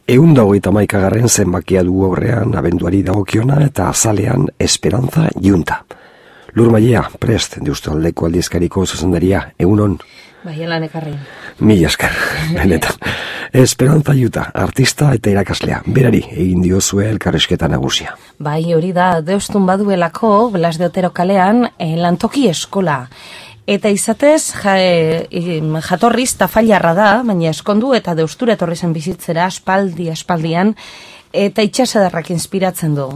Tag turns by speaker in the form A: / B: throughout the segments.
A: 121. zenbakia du aurrean abenduari dagokiona eta azalean Esperantza Junta. Lur Mailea, prest, Deustaldeko aldizkariko zuzendaria, egunon?
B: Bai, elan ekarri.
A: Mila esker, benetan. Esperantza Junta, artista eta irakaslea, berari egin diozue elkarrizketa nagusia.
B: Bai, hori da, Deustun baduelako, Blas de Otero kalean, lantoki eskola. Eta izatez, jatorriz tafailarra da, baina eskondu eta Deustura etorri zen bizitzera aspaldian, eta itxasadarrak inspiratzen du.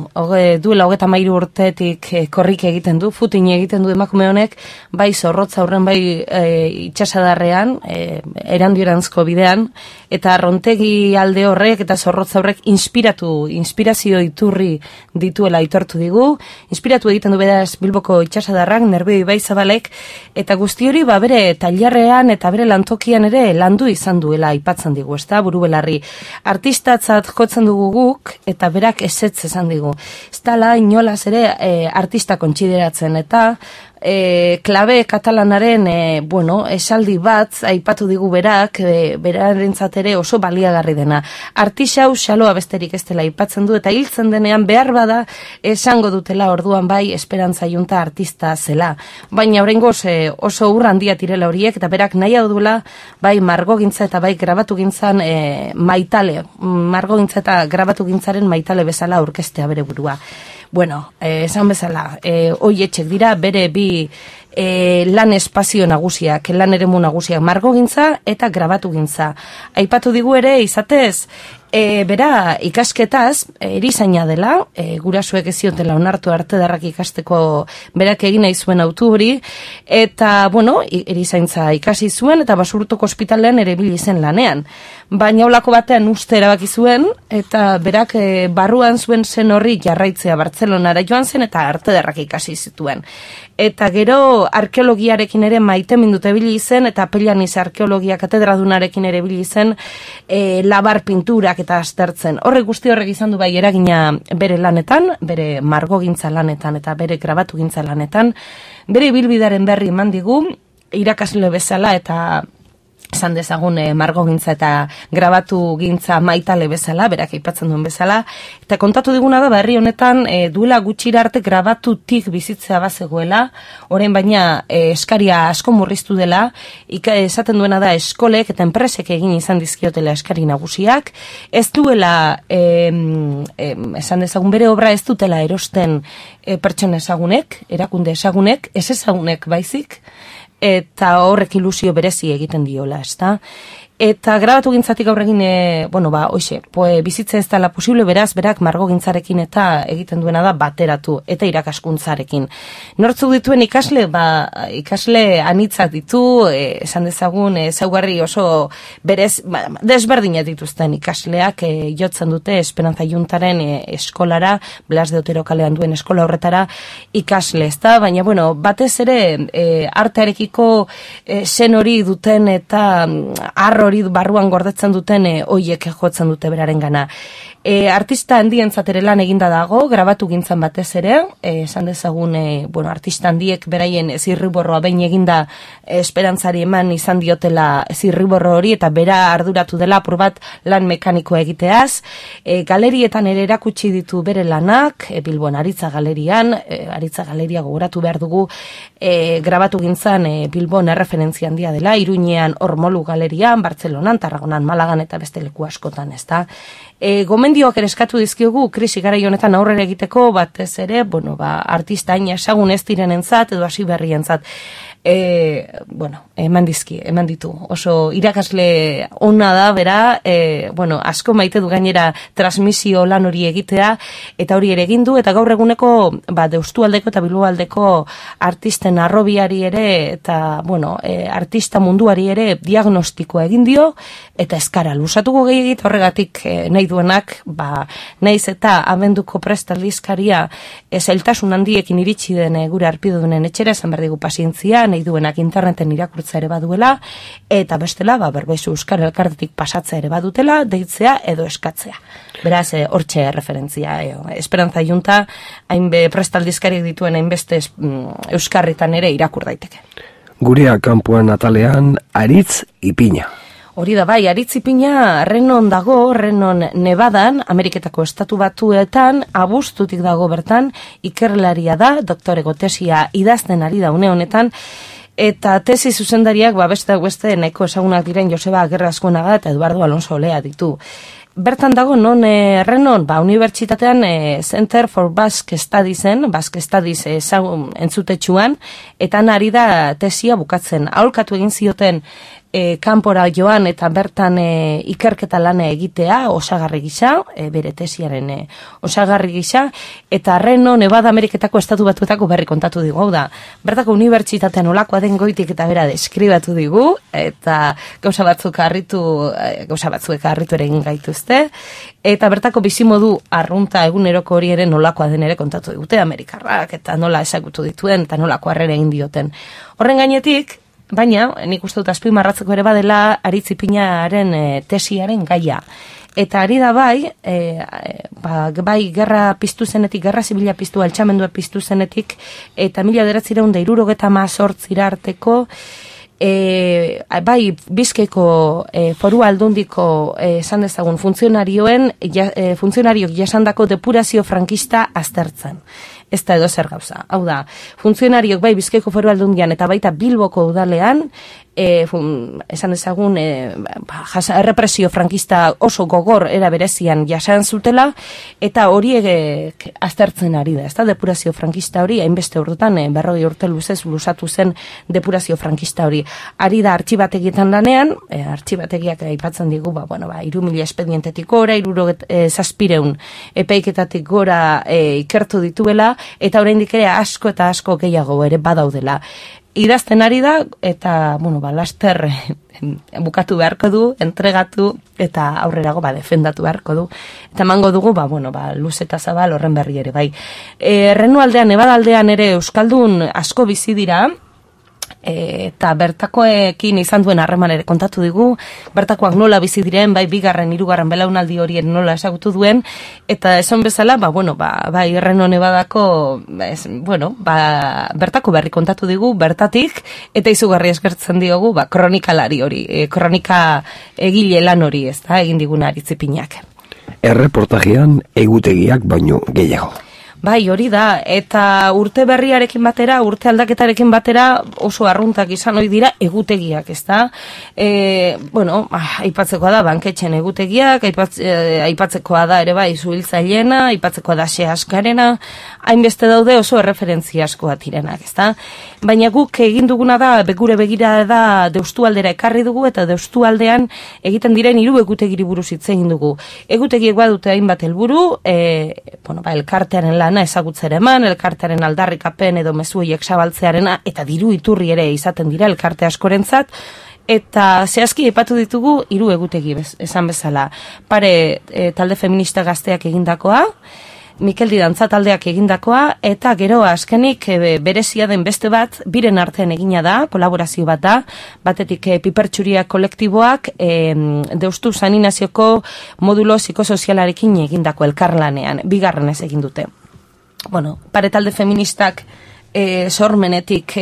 B: Duela 33 urtetik korrik egiten du, footing egiten du emakume honek, bai zorrotza aurren, bai itxasadarrean, erandiorantzko bidean, eta rontegi alde horrek eta zorrotza horrek inspirazio iturri dituela aitortu digu, inspiratu egiten du beraz Bilboko itxasadarrak, Nerbioi bai Zabalek, eta guzti hori bere tailerrean eta bere lantokian ere landu izan duela aipatzen digu, ezta, buru belarri. Artistatzat jotzen dugu eta berak ezetz esan digu. Ez dala inolaz ere artista kontsideratzen eta klabe katalanaren esaldi bat aipatu digu berak, berarentzat ere oso baliagarri dena. Artisau xaloa besterik ez dela aipatzen du eta hiltzen denean behar bada esango dutela orduan bai Esperantza Junta artista zela. Baina oraingoz oso urra handia direla horiek eta berak nahi duela bai margogintza eta bai grabatugintzan maitale, margogintza eta grabatugintzaren maitale bezala aurkeztea bere burua. Bueno, esan bezala, hoietxek dira bere bi lan espazio nagusiak, lan eremu nagusiak, margogintza eta grabatugintza. Aipatu digu ere, izatez, bera ikasketaz, erizaina dela, gurasuek ez ziotela onartu artedarrak ikasteko berak egin nahi zuen autu hori, eta, erizaintza ikasi zuen, eta Basurtoko ospitalean ere ibili zen lanean. Baina olako batean uste erabaki zuen, eta berak barruan zuen zen horri jarraitzea Bartzelonara joan zen, eta artedarrak ikasi zituen. Eta gero arkeologiarekin ere maite mindute ibili zen, eta Pellaniz arkeologia katedradunarekin ere ibili zen, labar pinturak eta aztertzen. Horrek guzti horrek izan du bai eragina bere lanetan, bere margogintza lanetan eta bere grabatugintza lanetan, bere ibilbidearen berri eman digu, irakasle bezala eta esan dezagun margogintza eta grabatugintza maitale bezala, berak aipatzen duen bezala, eta kontatu diguna da herri honetan duela gutxira arte grabatutik bizitzea bazegoela, orain baina eskaria asko murriztu dela, esaten duena da eskolek eta enpresek egin izan dizkiotela eskari nagusiak, ez duela, esan dezagun bere obra ez dutela erosten pertsona ezagunek, erakunde ezagunek, ez ezagunek baizik, eta horrek ilusio berezi egiten diola, ezta? Eta grabatugintzatik aurregin, bizitza ez dela posible, beraz, berak margogintzarekin eta egiten duena da bateratu, eta irakaskuntzarekin. Nortzuk dituen ikasle, ikasle anitzak ditu, esan dezagun, ezaugarri oso berez, desberdinak dituzten ikasleak, jotzen dute Esperantza Juntaren eskolara, Blas de Otero kalean duen eskola horretara ikasle, ezta? Baina, batez ere, artearekiko zen hori duten eta arro hori barruan gordetzen duten hoiek jotzen dute beraren gana. Artista handientzat ere lan eginda dago, grabatugintzan batez ere, esan dezagun, artista handiek beraien zirriborroa behin eginda Esperantzari eman izan diotela zirriborro hori, eta bera arduratu dela apur bat lan mekanikoa egiteaz. Galerietan ere erakutsi ditu bere lanak, Bilbon Aritza Galerian, Aritza Galeria gogoratu behar dugu, grabatugintzan Bilbon erreferentzia handia dela, Iruñean Ormolu Galerian, Bartzelonan, Tarragonan, Malagan eta beste leku askotan, ezta? Gomendioak ere eskatu dizkiogu krisi garai honetan aurrera egiteko, batez ere, artista hain ezagun ez direnentzat edo hasi berrientzat. Eman ditu. Oso irakasle ona da, bera, asko maite du gainera transmisio lan hori egitea, eta hori ere egin du, eta gaur eguneko, Deustualdeko eta Bilboaldeko artisten arrobiari ere, eta, artista munduari ere diagnostikoa egin dio, eta eskara lusatuko gehiagit, horregatik nahi duenak, naiz eta abenduko prestaldizkaria zailtasun handiekin iritsi den gure arpidunen etxera, esan behar digu pazientzia, nahi duenak interneten irakurtza ere baduela, eta bestela, Berbaizu Euskal Elkartetik pasatzea ere badutela, deitzea edo eskatzea. Beraz, hortxe referentzia. Esperantza Junta, hainbe prestaldizkariak dituen hainbeste euskarritan ere irakur daiteke.
A: Gurea kanpoan atalean, Aritz Ipina.
B: Hori da bai, Aritzipina Renon dago, Renon Nevadan, Ameriketako estatu batuetan, abuztutik dago bertan, ikerlaria da, doktorego tesia idazten ari da une honetan, eta tesi zuzendariak, beste nahiko ezagunak diren Joseba Agerrazkonaga eta Eduardo Alonso Olea ditu. Bertan dago, non Renon, unibertsitatean Center for Basque Studiesen, Basque Studies entzutetxuan, eta ari da tesia bukatzen. Aholkatu egin zioten kanpora joan eta bertan ikerketa lana egitea, osagarri gisa, bere tesiaren osagarri gisa, eta Reno, Nevada Ameriketako estatu batuetako berri kontatu digu, hau da, bertako unibertsitatean olakoa den goitik eta bera deskribatu digu, eta gauza batzuek harritu ere egin gaituzte, eta bertako bizimodu arrunta eguneroko hori ere nolakoa den ere kontatu digute, Amerikarrak, eta nola ezagutu dituen, eta nolako harrera egin dioten. Horren gainetik, baina, nik uste dut azpimarratzeko ere badela Aritzipinaren tesiaren gaia. Eta ari da bai, bai gerra piztu zenetik, gerra zibila piztu, altxamendua piztu zenetik, eta 1978 arteko, bai Bizkaiko foru aldundiko esan dezagun funtzionariok jasandako depurazio frankista aztertzen. Ez da edo zer gauza. Hau da, funtzionariok bai Bizkaiko foru aldundian eta baita Bilboko udalean, esan dezagun, errepresio frankista oso gogor era berezian jasan zutela, eta horiek aztertzen ari da. Ez da, depurazio frankista hori, hainbeste urtetan, 40 urte luzez luzatu zen depurazio frankista hori. Ari da artxibategietan lanean, artxibategiak aipatzen digu, 3.000 espedientetik gora, 700 epaiketatik gora ikertu dituela, eta oraindik ere asko eta asko gehiago ere badaudela. Idazten ari da, eta, laster bukatu beharko du, entregatu, eta aurrerago defendatu beharko du. Eta emango dugu, luz eta zabal horren berri ere, bai. Reno aldean, Nevada aldean ere euskaldun asko bizi dira, eta bertakoekin izan duen harreman ere kontatu digu, bertakoak nola bizi diren, bai bigarren, hirugarren belaunaldi horien nola ezagutu duen, eta esan bezala, bai Reno Nevadako, bertako berri kontatu digu, bertatik, eta izugarri eskertzen diogu, kronikalari hori, kronika egile lan hori, ez da, egin diguna Aritzipinak.
A: Erreportajean egutegiak baino gehiago.
B: Bai, hori da, eta urte berriarekin batera, urte aldaketarekin batera oso arruntak izan hori dira egutegiak, ez da? Aipatzekoa da banketxen egutegiak, aipatzekoa da ere bai zuhiltzailena, aipatzekoa da Seaskarena, hainbeste daude oso erreferentzia askoa direnak, ez da? Baina guk egin duguna da, gure begira da Deustualdera ekarri dugu, eta Deustualdean egiten diren 3 egutegiri buruz hitz egin dugu. Egutegiek badute hainbat helburu, elkartearen lana ezagutzera eman, elkartearen aldarrikapen edo mezuiek zabaltzearena, eta diru iturri ere izaten dira elkarte askorentzat, eta zehazki aipatu ditugu 3 egutegi esan bezala. Pare talde feminista gazteak egindakoa, Mikel Didantza taldeak egindakoa, eta gero azkenik berezia den beste bat, biren artean egina da, kolaborazio bat da, batetik Pipertxuria kolektiboak Deustu Saninazioko modulo psikosozialarekin egindako elkarlanean, bigarrenez egin dute. Pare talde feministak sormenetik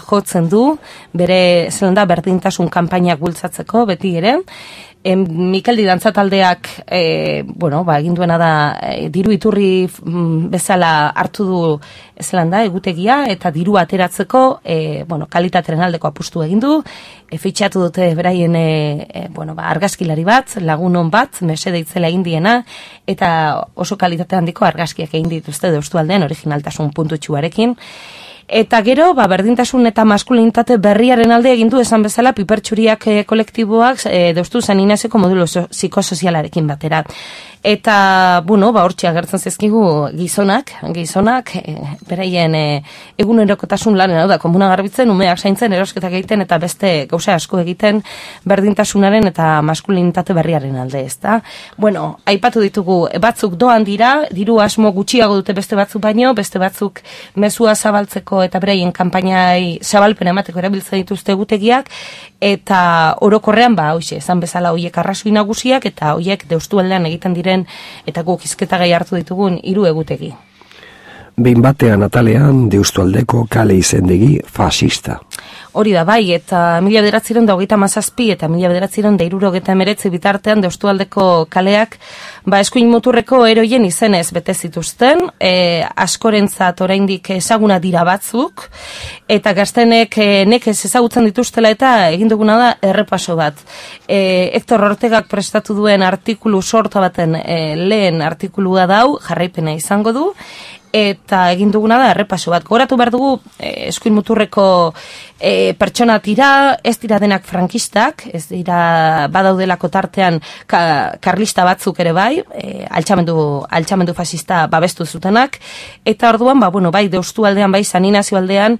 B: jotzen du, bere zelanda berdintasun kanpainak bultzatzeko, beti ere, Mikel Didantza taldeak egin duena da diru iturri bezala hartu du zelanda egutegia eta diru ateratzeko kalitateren aldeko apustu egin du, fitxatu dute beraien argazkilari bat, lagunon bat, mesede itzela egin diena, eta oso kalitate handiko argazkiak egin dituzte Deustualdean originaltasun puntutxuarekin. Eta gero, berdintasun eta maskulinitate berriaren alde egin du esan bezala Pipertxuriak kolektiboak Deustu Saninazioko modulo psikosozialarekin batera. Eta, hortxe agertzen zezkigu gizonak, beraien egunerokotasun lanen, hau da, komuna garbitzen, umeak zaintzen, erosketak egiten, eta beste gauza asko egiten berdintasunaren eta maskulinitate berriaren alde, ez da? Aipatu ditugu, batzuk doan dira, diru asmo gutxiago dute beste batzuk baino, beste batzuk mezua zabaltzeko eta beraien kanpainai zabalpen emateko erabiltzen dituzte egutegiak, eta orokorrean, hoize, esan bezala hoiek arrazoi nagusiak, eta hoiek Deustualdean egiten diren eta guk hizketagai hartu ditugun 3 egutegi.
A: Behin batean atalean Deustualdeko kale izendegi fascista.
B: Hori da, bai, eta 1927 eta 1969 bitartean Deustualdeko kaleak eskuin muturreko eroien izenez bete zituzten, askorentzat oraindik ezaguna dira batzuk, eta gaztenek nekez ezagutzen dituztela eta egin duguna da errepaso bat. Hector Ortegak prestatu duen artikulu sorta baten lehen artikulua dau, jarraipena izango du, eta egin duguna da errepaso bat. Gogoratu behar dugu eskuin muturreko pertsona tira, ez dira denak frankistak, ez dira badaudelako tartean karlista batzuk ere bai, altxamendu fascista babestu zutenak, eta orduan, bai, Deustualdean, bai, San Inazio aldean,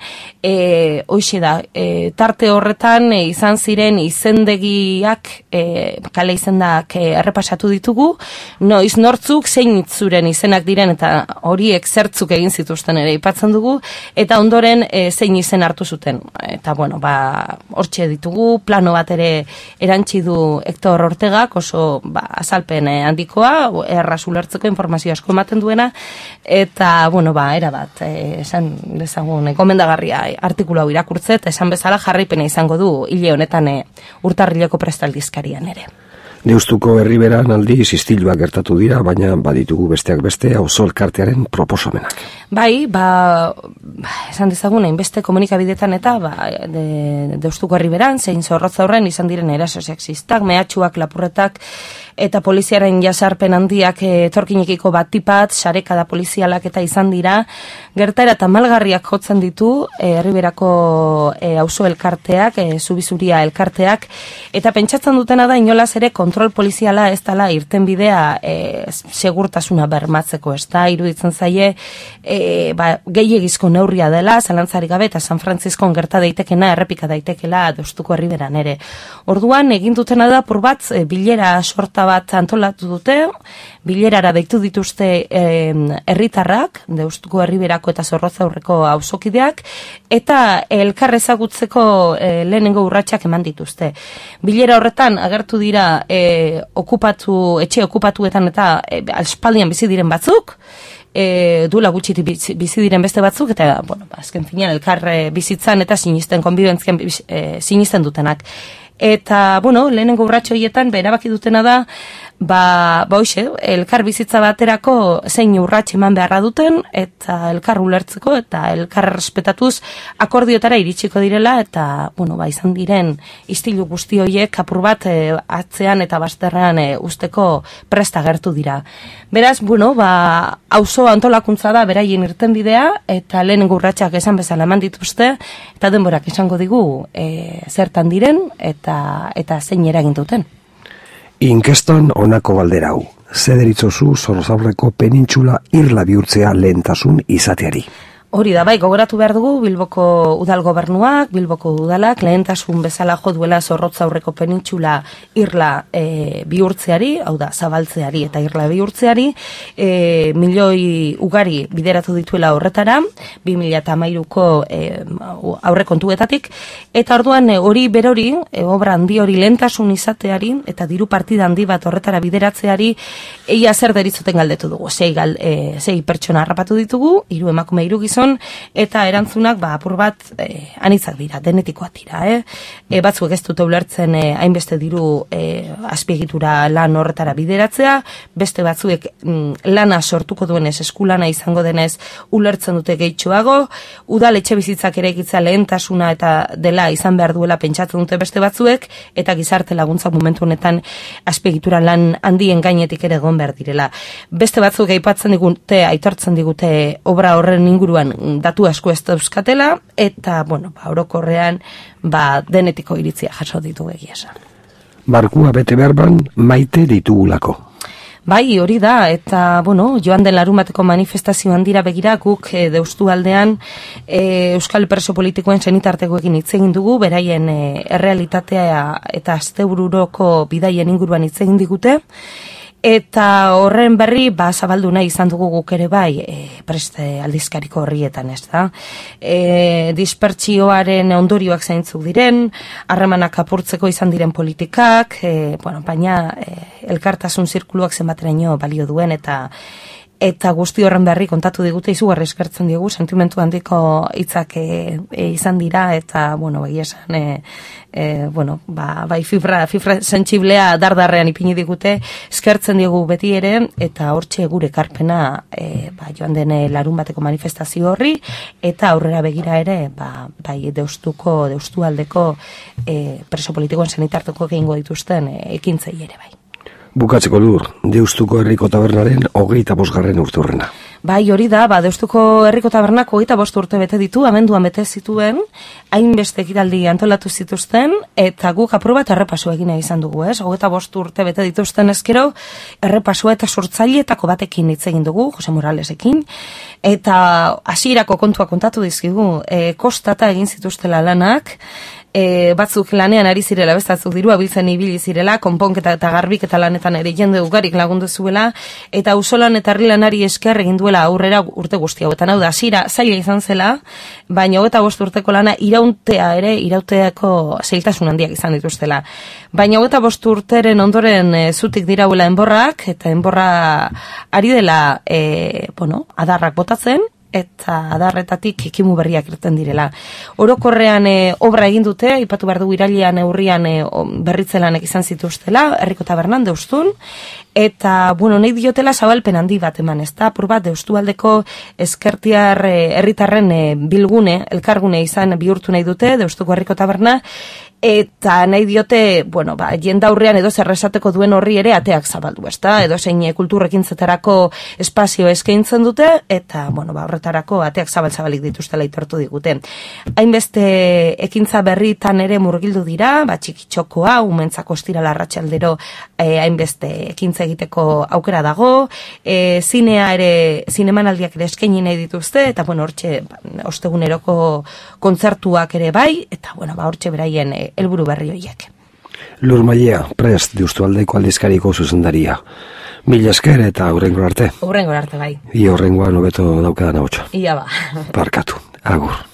B: hoixe da, tarte horretan izan ziren izendegiak, kale izendak errepasatu ditugu, noiz nortzuk zein itzuren izenak diren, eta horiek zertzuk egin zituzten ere ipatzen dugu, eta ondoren zein izen hartu zuten. Eta, hortxe ditugu, plano bat ere erantzi du Hector Ortegak, oso azalpen handikoa, erraz ulertzeko informazio asko ematen duena, eta, era bat, esan dezagun, gomendagarria artikulu hau irakurtzet, esan bezala jarraipena izango du hile honetan urtarrileko prestaldizkarian ere.
A: Deustuko herriberan aldiz istiluak gertatu dira, baina baditugu besteak beste auzo elkartearen proposamenak.
B: Bai, esan dezagun, hainbeste komunikabidetan eta Deustuko herriberan, zein Zorrotza horren izan diren eraso sexistak, mehatxuak, lapurretak, eta poliziaren jasarpen handiak etorkinekiko batipat, sarekada polizialak eta izan dira, gertaera eta malgarriak jotzen ditu herriberako auzo elkarteak, zubizuria elkarteak, eta pentsatzen dutena da inolaz ere kontrol poliziala ez dela irtenbidea segurtasuna bermatzeko, ez da, iruditzen zaie gehiegizko neurria dela, zalantzarik gabe, eta San Frantziskon gerta daitekena, errepika daitekela Deustuko herriberan ere. Orduan, egin dutena da, bat, bilera sorta bat antolatu dute, bilerara deitu dituzte herritarrak, Deustuko herriberako eta Zorrotza aurreko auzokideak, eta elkar ezagutzeko lehenengo urratsak eman dituzte. Bilera horretan agertu dira etxe okupatuetan eta aspaldian bizi diren batzuk, duela gutxiti bizi diren beste batzuk, eta, azken finean elkar bizitzan eta sinisten, konbibentzian sinisten dutenak. Eta, lehenengo urratxo horietan, erabaki dutena da, hoxe, elkar bizitza baterako zein urratx eman beharra duten, eta elkar ulertzeko, eta elkar respetatuz akordioetara iritsiko direla, eta, izan diren istilu guzti horiek apur bat atzean eta bazterrean usteko presta gertu dira. Beraz, auzo antolakuntza da beraien irtenbidea, eta lehenengo urratxak esan bezala eman dituzte, eta denborak esango digu zertan diren, eta zein eragin duten.
A: Inkestan honako galdera hau. Ze deritzozu Zorrozaurreko penintxula irla bihurtzea lehentasun izateari?
B: Hori da, gogoratu behar dugu Bilboko udal gobernuak, Bilboko udalak lehentasun bezala jo duela Zorrotzaurreko penintxula irla bihurtzeari, hau da, zabaltzeari eta irla bihurtzeari, milioi ugari bideratu dituela horretara, 2013ko aurrekontuetatik, eta orduan hori berori, obra handi hori lehentasun izateari, eta diru partida handi bat horretara bideratzeari, eia zer deritzoten galdetu dugu, sei pertsona harrapatu ditugu, 3 emakume 3 gizon, eta erantzunak apur bat anitzak dira, denetikoak dira. Batzuek ez dute ulertzen hainbeste diru azpiegitura lan horretara bideratzea, beste batzuek lana sortuko duenez, eskulana izango denez ulertzen dute gehitxoago, udal etxe bizitzak eraikitza lehentasuna eta dela izan behar duela pentsatzen dute beste batzuek, eta gizarte laguntza momentu honetan azpiegitura lan handien gainetik ere egon behar direla. Beste batzuk aipatzen digute, aitortzen digute obra horren inguruan datu asko ez dauzkatela, eta, orokorrean, denetiko iritzia jaso ditugu egia esan.
A: Barkua bete berban maite ditugulako.
B: Bai, hori da, eta, joan den larunbateko manifestazioan dira begira, guk Deustualdean Euskal Preso Politikoen senitartekoekin hitz egin dugu, beraien errealitatea eta astebururoko bidaien inguruan hitz egin digute, eta horren berri zabaldu nahi izan dugu guk ere bai preste aldizkariko horrietan, ez da. Dispertsioaren ondorioak zeintzuk diren, harremanak apurtzeko izan diren politikak, baina elkartasun zirkuluak zenbateraino balio duen, eta eta guzti horren berri kontatu digute, izugarri eskertzen diegu, sentimentu handiko hitzak izan dira, eta, bueno, bai esan, bai fibra sentsiblea dardarrean ipini digute, eskertzen diegu beti ere, eta hortxe gure ekarpena joan den larun bateko manifestazio horri, eta aurrera begira ere, bai deustualdeko preso politikoen senitarteko egingo dituzten ekintzei ere bai.
A: Bukatzeko Lur, Deustuko Herriko Tabernaren 25. urteurrena.
B: Bai, hori da, Deustuko Herriko Tabernak 25 urte bete ditu, abenduan bete zituen, hainbeste ekitaldi antolatu zituzten, eta guk apur bat errepasua egina izan dugu, 25 urte bete dituzten ezkero, errepasua eta sortzaileetako batekin hitz egin dugu, Jose Moralesekin, eta hasierako kontua kontatu dizkigu, kostata egin zituztela lanak, batzuk lanean ari zirela, bestatzuk dirua biltzen ibili zirela, konponketa eta garbiketa lanetan ere jende ugarik lagundu zuela, eta auzolan eta herrilanari esker egin duela aurrera urte guzti hauetan. Hau da, hasiera zaila izan zela, baina 25 urteko lana irauteako zailtasun handiak izan dituztela. Baina 25 urteren ondoren zutik dirauela enborrak, eta enborra ari dela adarrak botatzen, eta adarretatik ekimu berriak irten direla. Orokorrean obra egin dute, aipatu behar dugu irailean urrian berritzelanek izan zituztela, Herriko Tabernan, Deustun, eta, nahi diotela zabalpen handi bat eman, ez da, apur bat, Deustualdeko ezkertiar herritarren bilgune, elkargune izan bihurtu nahi dute, Deustuko Herriko Taberna, eta nahi diote, jendaurrean edo zerresateko duen horri ere ateak zabaldu, ez da, edo zein kulturrekin zetarako espazio eskaintzen dute, eta, horretarako ateak zabalik dituztela aitortu digute. Hainbeste ekintza berritan ere murgildu dira, txikitxokoa, umentzako ostirala arratsaldero hainbeste ekintza egiteko aukera dago, zinemanaldiak ere eskaini nahi dituzte, eta, hortxe, osteguneroko kontzertuak ere bai, eta, hortxe beraien helburu berri horiek.
A: Lur Mailea, Prest, Deustualdeko aldizkariko zuzendaria. Mila esker eta hurrengo arte.
B: Hurrengo arte bai.
A: Ia hurrengoan hobeto daukadan ahotsa.
B: Ia ba.
A: Barkatu. Agur.